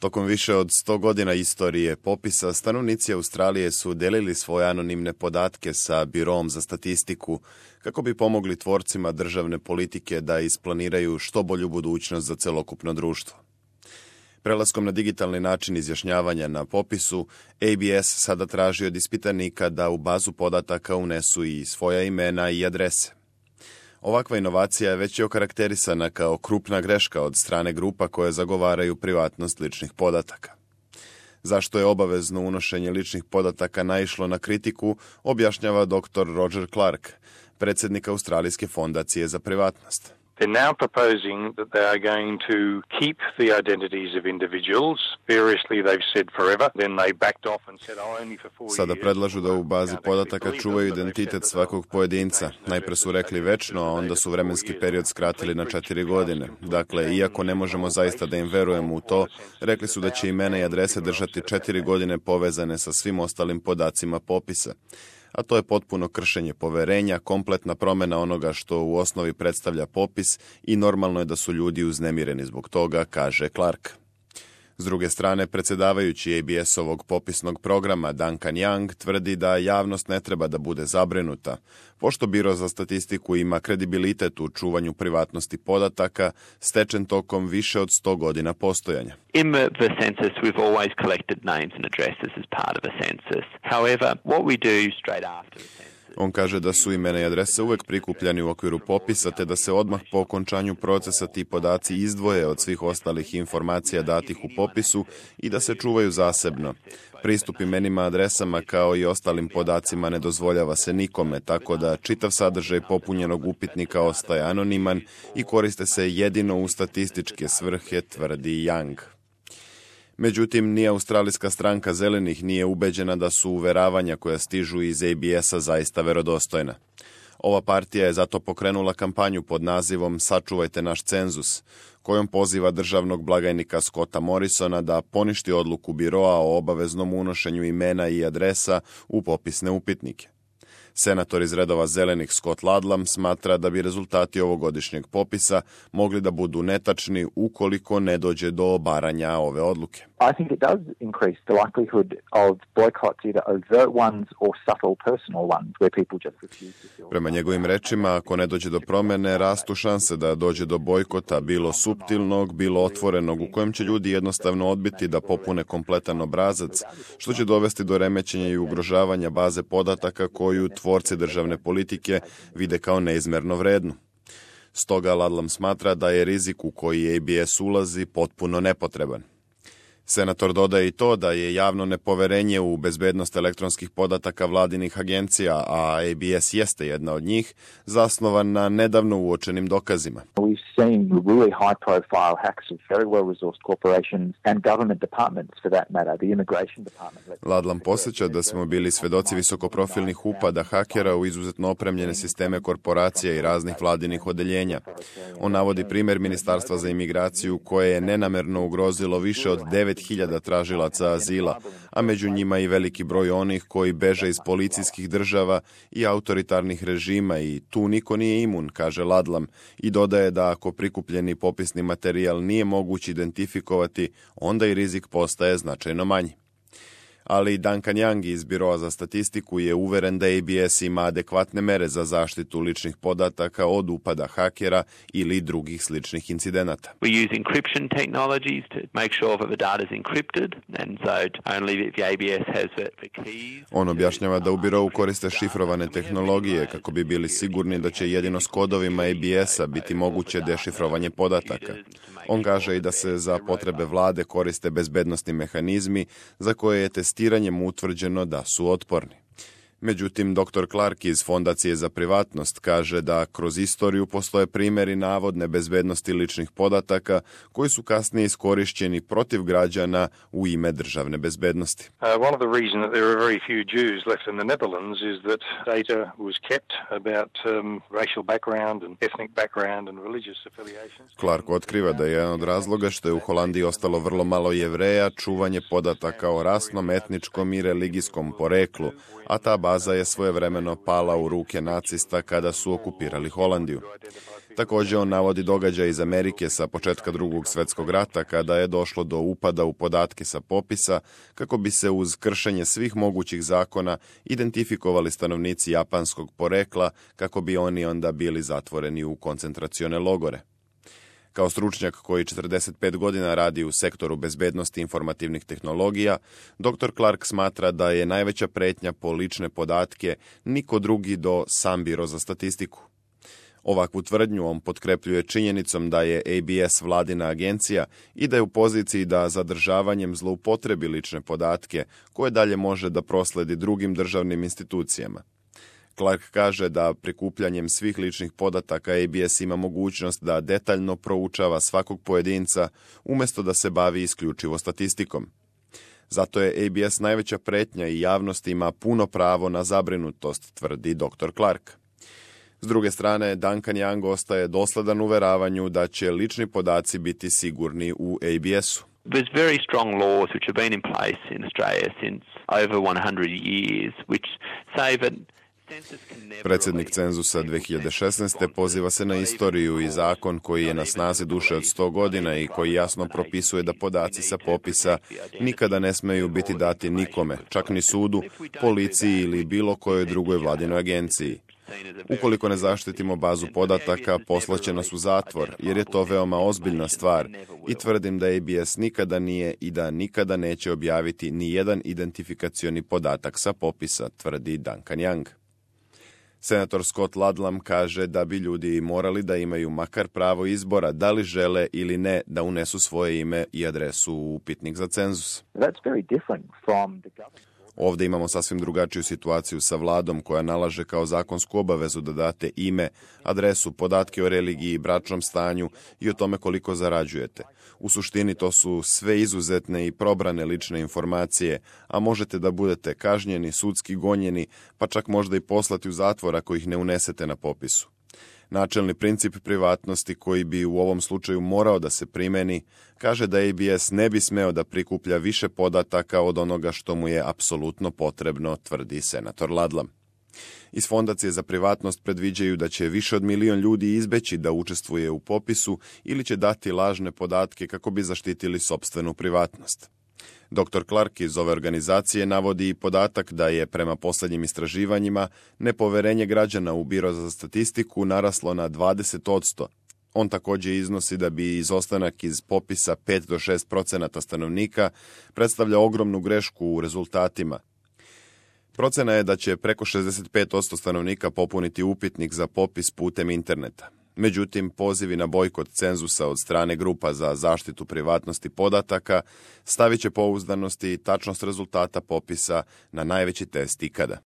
Tokom više od 100 godina istorije popisa, stanovnici Australije su delili svoje anonimne podatke sa Biroom za statistiku kako bi pomogli tvorcima državne politike da isplaniraju što bolju budućnost za celokupno društvo. Prelaskom na digitalni način izjašnjavanja na popisu, ABS sada traži od ispitanika da u bazu podataka unesu i svoja imena i adrese. Ovakva inovacija već je okarakterisana kao krupna greška od strane grupa koje zagovaraju privatnost ličnih podataka. Zašto je obavezno unošenje ličnih podataka naišlo na kritiku, objašnjava dr. Roger Clark, predsjednik Australijske fondacije za privatnost. They're now proposing that they are going to keep the identities of individuals. Variously they've said forever. Then they backed off and said only for 4 years. Sada predlažu da u bazi podataka čuvaju identitet svakog pojedinca. Najpre su rekli večno, a onda su vremenski period skratili na 4 godine. Dakle, iako ne možemo zaista da im verujemo u to, rekli su da će imena i adrese držati 4 godine povezane sa svim ostalim podacima popisa. A to je potpuno kršenje poverenja, kompletna promjena onoga što u osnovi predstavlja popis i normalno je da su ljudi uznemireni zbog toga, kaže Clark. S druge strane, predsjedavajući ABS-ovog popisnog programa Duncan Young tvrdi da javnost ne treba da bude zabrinuta, pošto Biro za statistiku ima kredibilitet u čuvanju privatnosti podataka stečen tokom više od 100 godina postojanja. In the census, we've always collected names and addresses as part of a census. However, what we do straight after a census... On kaže da su imena i adrese uvek prikupljani u okviru popisa, te da se odmah po okončanju procesa ti podaci izdvoje od svih ostalih informacija datih u popisu i da se čuvaju zasebno. Pristup imenima, adresama kao i ostalim podacima ne dozvoljava se nikome, tako da čitav sadržaj popunjenog upitnika ostaje anoniman i koriste se jedino u statističke svrhe, tvrdi Young. Međutim, ni Australijska stranka zelenih nije ubeđena da su uveravanja koja stižu iz ABS-a zaista verodostojna. Ova partija je zato pokrenula kampanju pod nazivom Sačuvajte naš cenzus, kojom poziva državnog blagajnika Scotta Morrisona da poništi odluku biroa o obaveznom unošenju imena i adresa u popisne upitnike. Senator iz redova zelenih Scott Ludlam smatra da bi rezultati ovogodišnjeg popisa mogli da budu netačni ukoliko ne dođe do obaranja ove odluke. I think it does increase the likelihood of boycotts, either overt ones or subtle personal ones, where people just refuse to fill. Prema njegovim rečima, ako ne dođe do promjene, rastu šanse da dođe do bojkota, bilo suptilnog, bilo otvorenog, u kojem će ljudi jednostavno odbiti da popune kompletan obrazac, što će dovesti do remećenja i ugrožavanja baze podataka koju tvorci državne politike vide kao neizmerno vrednu. Stoga Ludlam smatra da je rizik u koji ABS ulazi potpuno nepotreban. Senator dodaje i to da je javno nepoverenje u bezbednost elektronskih podataka vladinih agencija, a ABS jeste jedna od njih, zasnovan na nedavno uočenim dokazima. We've seen really high-profile hacks of very well-resourced corporations and government departments, for that matter, the immigration department. Ludlam posjeća da smo bili svedoci visokoprofilnih upada hakera u izuzetno opremljene sisteme korporacija i raznih vladinih odeljenja. On navodi primjer Ministarstva za imigraciju koje je nenamerno ugrozilo više od 9.000 tražilaca azila, a među njima i veliki broj onih koji beže iz policijskih država i autoritarnih režima i tu niko nije imun, kaže Ludlam, i dodaje da ako prikupljeni popisni materijal nije moguće identifikovati, onda i rizik postaje značajno manji. Ali Duncan Young iz Biroa za statistiku je uveren da ABS ima adekvatne mere za zaštitu ličnih podataka od upada hakera ili drugih sličnih incidenata. We use encryption technologies to make sure that the data is encrypted, and so only if the ABS has the keys. On objašnjava da u birou koriste šifrovane tehnologije kako bi bili sigurni da će jedino s kodovima ABS-a biti moguće dešifrovanje podataka. On kaže i da se za potrebe vlade koriste bezbednosni mehanizmi za koje je testiranjem utvrđeno da su otporni. Međutim, dr. Clark iz Fondacije za privatnost kaže da kroz istoriju postoje primjeri navodne bezbednosti ličnih podataka koji su kasnije iskorišćeni protiv građana u ime državne bezbednosti. One of the reasons that there are very few Jews left in the Netherlands is that data was kept about racial background and ethnic background and religious affiliations. Clark otkriva da je jedan od razloga što je u Holandiji ostalo vrlo malo Jevreja čuvanje podataka o rasnom, etničkom i religijskom poreklu, a ta baza je svojevremeno pala u ruke nacista kada su okupirali Holandiju. Također on navodi događaj iz Amerike sa početka Drugog svjetskog rata kada je došlo do upada u podatke sa popisa kako bi se uz kršenje svih mogućih zakona identifikovali stanovnici japanskog porekla kako bi oni onda bili zatvoreni u koncentracione logore. Kao stručnjak koji 45 godina radi u sektoru bezbednosti informativnih tehnologija, dr. Clark smatra da je najveća pretnja po lične podatke niko drugi do sam Biro za statistiku. Ovakvu tvrdnju on potkrepljuje činjenicom da je ABS vladina agencija i da je u poziciji da zadržavanjem zloupotrebi lične podatke koje dalje može da prosledi drugim državnim institucijama. Clark kaže da prikupljanjem svih ličnih podataka ABS ima mogućnost da detaljno proučava svakog pojedinca umjesto da se bavi isključivo statistikom. Zato je ABS najveća pretnja i javnost ima puno pravo na zabrinutost, tvrdi dr. Clark. S druge strane, Duncan Young ostaje dosledan uveravanju da će lični podaci biti sigurni u ABS-u. There's very strong laws which have been in place in Australia since over 100 years which say that predsjednik cenzusa 2016. poziva se na istoriju i zakon koji je na snazi duže od 100 godina i koji jasno propisuje da podaci sa popisa nikada ne smeju biti dati nikome, čak ni sudu, policiji ili bilo kojoj drugoj vladinoj agenciji. Ukoliko ne zaštitimo bazu podataka, poslaće nas u zatvor, jer je to veoma ozbiljna stvar i tvrdim da ABS nikada nije i da nikada neće objaviti ni jedan identifikacioni podatak sa popisa, tvrdi Duncan Young. Senator Scott Ludlam kaže da bi ljudi morali da imaju makar pravo izbora da li žele ili ne da unesu svoje ime i adresu u upitnik za cenzus. Ovdje imamo sasvim drugačiju situaciju sa vladom koja nalaže kao zakonsku obavezu da date ime, adresu, podatke o religiji, bračnom stanju i o tome koliko zarađujete. U suštini to su sve izuzetne i probrane lične informacije, a možete da budete kažnjeni, sudski gonjeni, pa čak možda i poslati u zatvor ako ih ne unesete na popisu. Načelni princip privatnosti koji bi u ovom slučaju morao da se primeni, kaže da ABS ne bi smeo da prikuplja više podataka od onoga što mu je apsolutno potrebno, tvrdi senator Ludlam. Iz Fondacije za privatnost predviđaju da će više od 1 milion ljudi izbeći da učestvuje u popisu ili će dati lažne podatke kako bi zaštitili sopstvenu privatnost. Dr. Clark iz ove organizacije navodi i podatak da je prema posljednjim istraživanjima nepoverenje građana u Biro za statistiku naraslo na 20%. On također iznosi da bi izostanak iz popisa 5 do 6% stanovnika predstavlja ogromnu grešku u rezultatima. Procena je da će preko 65% stanovnika popuniti upitnik za popis putem interneta. Međutim, pozivi na bojkot cenzusa od strane grupa za zaštitu privatnosti podataka stavit će pouzdanost i tačnost rezultata popisa na najveći test ikada.